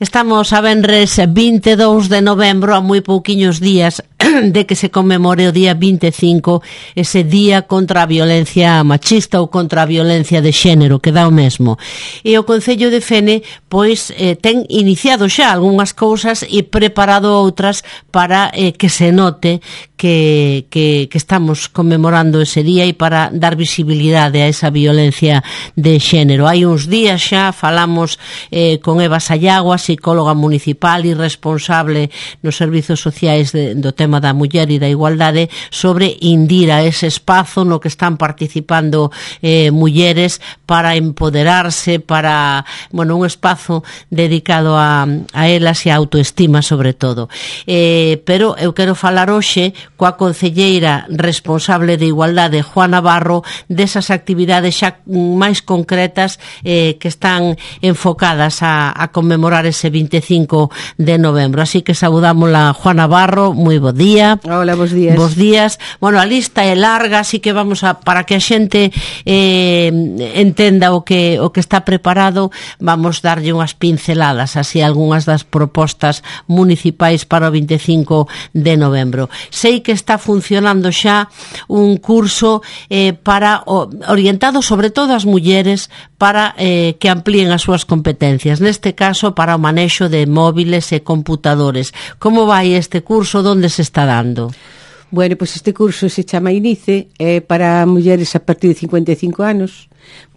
Estamos a venres 22 de novembro, a moi pouquiños días de que se conmemore o día 25, ese día contra a violencia machista ou contra a violencia de xénero, que dá o mesmo. E o Concello de Fene, pois, ten iniciado xa algunhas cousas e preparado outras para que se note que estamos conmemorando ese día e para dar visibilidade a esa violencia de xénero. Hai uns días xa falamos con Eva Sayago, psicóloga municipal e responsable nos servizos sociais do tema da muller e da igualdade, sobre Indira, ese espazo no que están participando mulleres para empoderarse, para, bueno, un espazo dedicado a elas e a autoestima sobre todo. Pero eu quero falar hoxe coa concelleira responsable de igualdade, Juana Barro, desas actividades xa máis concretas que están enfocadas a conmemorar ese 25 de novembro. Así que saudámosla, Juana Barro, moi bo día. Hola, bos días. Bos días. Bueno, a lista é larga, así que vamos para que a xente entenda o que está preparado, vamos darlle unhas pinceladas, así algunhas das propostas municipais para o 25 de novembro. Sei que está funcionando xa un curso para orientado sobre todo ás mulleres para que amplíen as súas competencias, neste caso para o manexo de móviles e computadores. Como vai este curso? Donde se está dando? Bueno, pues este curso se chama INICE, para mulleres a partir de 55 anos,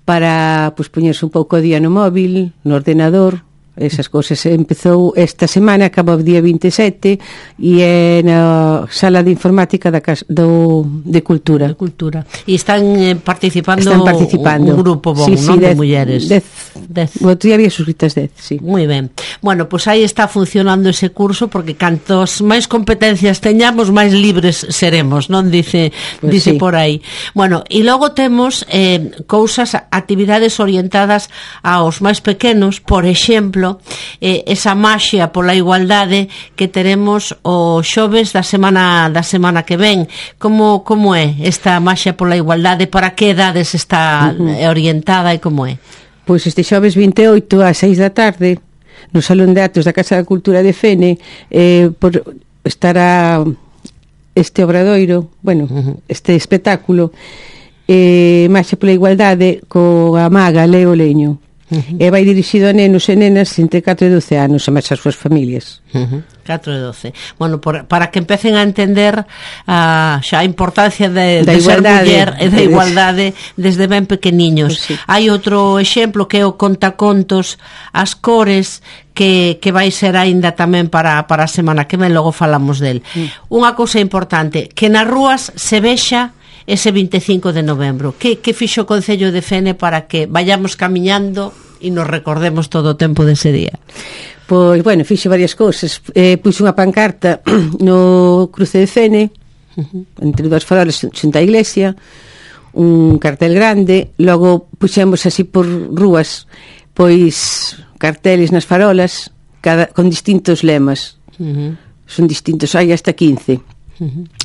para pues, poñerse un pouco día no móvil, no ordenador, esas cousas. Empezou esta semana, acabou o día 27 e é na sala de informática de Cultura. De Cultura. E están participando un grupo bon, sí, non, de mulleres. 10. O outro día había suscritas 10, sí. Moi ben. Bueno, pois aí está funcionando ese curso, porque cantos máis competencias teñamos, máis libres seremos, non? Dice sí, por aí. Bueno, e logo temos cousas, actividades orientadas aos máis pequenos, por exemplo, esa maxia pola igualdade que teremos o xoves da semana que ven. Como é esta maxia pola igualdade? Para que edades está orientada e como é? Pois este xoves 28 ás 6 da tarde no Salón de Actos da Casa da Cultura de Fene estará este obradoiro, bueno, este espectáculo maxia pola igualdade coa maga Leo Leño. E vai dirixido a nenos e nenas entre 4 e 12 anos e máis as súas familias. 4 e 12. Bueno, para que empecen a entender xa a importancia de ser muller e da igualdade desde ben pequeniños. Pues sí. Hai outro exemplo que é o contacontos As Cores, que vai ser aínda tamén para a semana que ven, logo falamos del. Unha cousa importante, que nas rúas se vexa ese 25 de novembro. Que fixo o Concello de Fene para que vayamos camiñando e nos recordemos todo o tempo dese día? Pois, bueno, fixe varias cousas. Puxo unha pancarta no cruce de Fene, entre dúas farolas xunto á iglesia, un cartel grande, logo puxemos así por rúas, pois carteles nas farolas, con distintos lemas. Son distintos, hai hasta 15.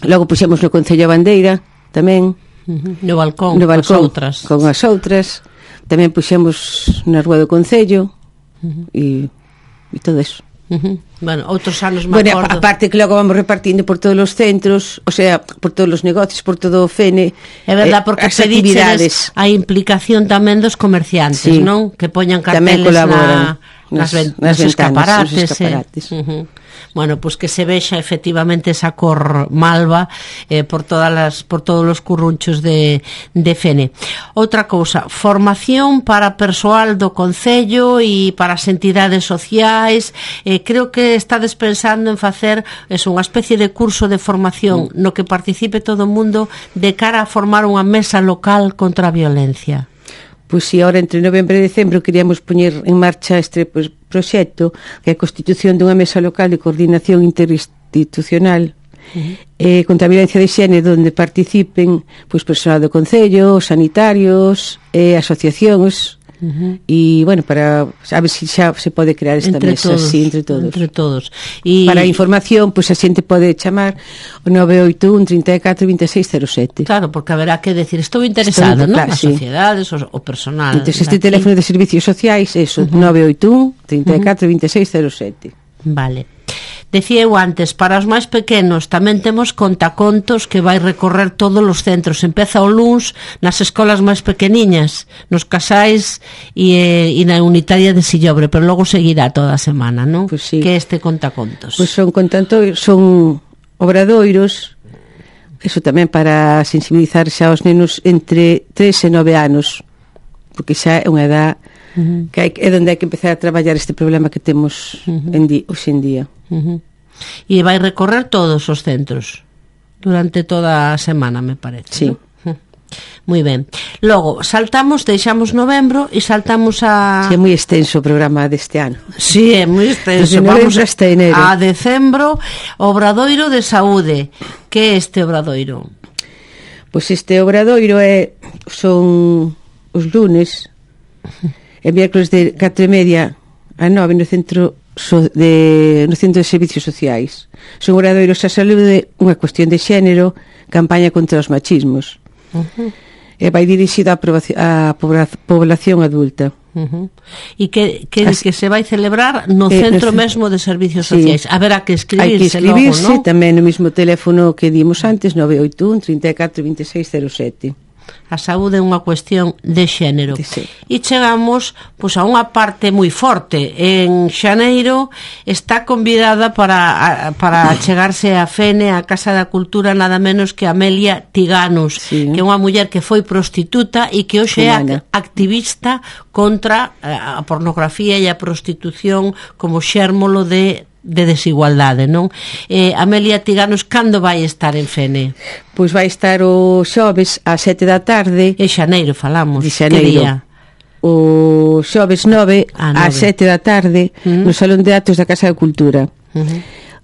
Logo puxemos no Concello a bandeira, tamén no balcón con as outras, tamén puxemos na rúa do Concello e todo eso. Bueno, outros anos me acordo. Aparte que logo vamos repartindo por todos os centros, o sea, por todos os negocios, por todo o Fene. É verdad, porque as actividades, a implicación tamén dos comerciantes, sí, non? Que poñan carteles nas escaparates. Bueno, pois que se vexa efectivamente esa cor malva por todos os currunchos de Fene. Outra cousa, formación para persoal do Concello e para as entidades sociais. Creo que estades pensando en facer unha especie de curso de formación no que participe todo o mundo de cara a formar unha mesa local contra a violencia. Pois si, ahora entre novembro e decembro queríamos poñer en marcha este proxecto, que é a constitución dunha mesa local de coordinación interinstitucional contra a violencia de xénero, onde participen pois persoal do Concello, sanitarios, asociacións, E, bueno, para a ver se xa se pode crear esta mesa así entre todos. E para a información, pois a xente pode chamar o 981 34 26 07. Claro, porque haberá que decir, estou interesado, non? As sociedades, o personal. Entón, este teléfono de servicios sociais, eso, 981 34 26 07. Vale. Decía eu antes, para os máis pequenos tamén temos contacontos que vai recorrer todos os centros. Empeza o luns nas escolas máis pequeniñas, nos casais e na unitaria de Sillobre, pero logo seguirá toda a semana, non? Pues sí. Que este contacontos? Pois son obradoiros, eso tamén para sensibilizar xa os nenos entre 3 e 9 anos, porque xa é unha edad que é onde hai que empezar a traballar este problema que temos hoxe en día. E vai recorrer todos os centros durante toda a semana, me parece. Sí. ¿No? Moi ben. Logo, deixamos novembro e saltamos a... Sí, é moi extenso o programa deste ano. Sí, é moi extenso. Vamos hasta enero. A decembro, Obradoiro de Saúde. Que é este obradoiro? Pois este obradoiro son os lunes e miércoles de 4:30 a 9 no centro de servicios sociais. Son obradoiros a saúde, unha cuestión de xénero, campaña contra os machismos. E vai dirixido á población adulta. E que se vai celebrar no centro mesmo de servicios sociais. Haberá que escribirse. Hai que escribirse logo, ¿no? Tamén no mesmo teléfono que dimos antes, 981 34 26 07. A saúde é unha cuestión de xénero. E chegamos pois a unha parte moi forte. En xaneiro está convidada para chegarse a Fene, a Casa da Cultura, nada menos que Amelia Tiganos, que é unha muller que foi prostituta e que hoxe é activista contra a pornografía e a prostitución como xérmolo de desigualdade, non? Amelia Tiganos, cando vai estar en Fene? Pois vai estar o xoves ás 7 da tarde. En xaneiro falamos. De xaneiro. Que día? O xoves 9 ás 7 da tarde no Salón de Actos da Casa da Cultura.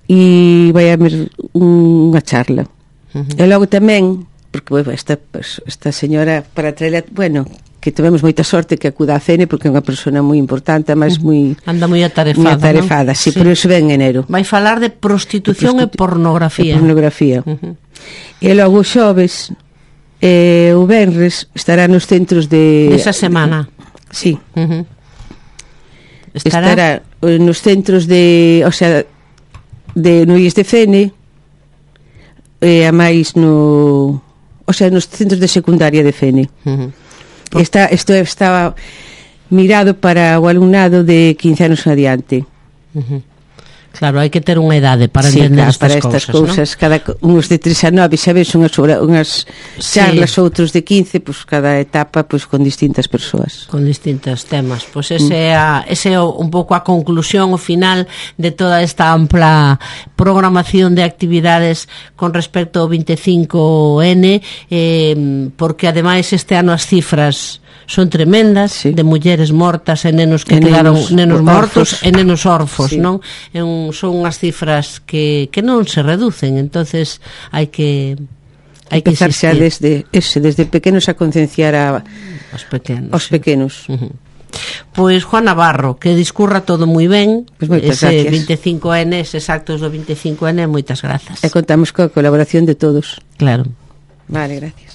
E vai haber unha charla. E logo tamén, porque esta señora para traer, que tivemos moita sorte que acuda a Fene, porque é unha persona moi importante, mas anda moi atarefada, sí, por iso ven en enero. Vai falar de prostitución e pornografía. E logo o xoves o venres estará nos centros esa semana. Sí. Estará nos centros o sea, no IES de Fene, a máis nos centros de secundaria de Fene. Isto estaba mirado para o alumnado de 15 anos adiante. Claro, hai que ter unha idade para entender estas cousas, ¿no? Cada uns de 3 a 9, xa ves unhas charlas, outros de 15, pues cada etapa pues con distintas persoas, con distintos temas. Pues ese é un pouco a conclusión, o final de toda esta ampla programación de actividades con respecto ao 25N, porque ademais este ano as cifras son tremendas, de mulleres mortas e nenos que quedaron nenos mortos e nenos orfos, non? Son unhas cifras que non se reducen, entonces hai que empezar xa desde pequenos a concienciar aos pequenos. Pois Juan Navarro, que discurra todo moi ben, ese 25N, eses actos do 25N, moitas grazas. E contamos coa colaboración de todos. Claro. Vale, gracias.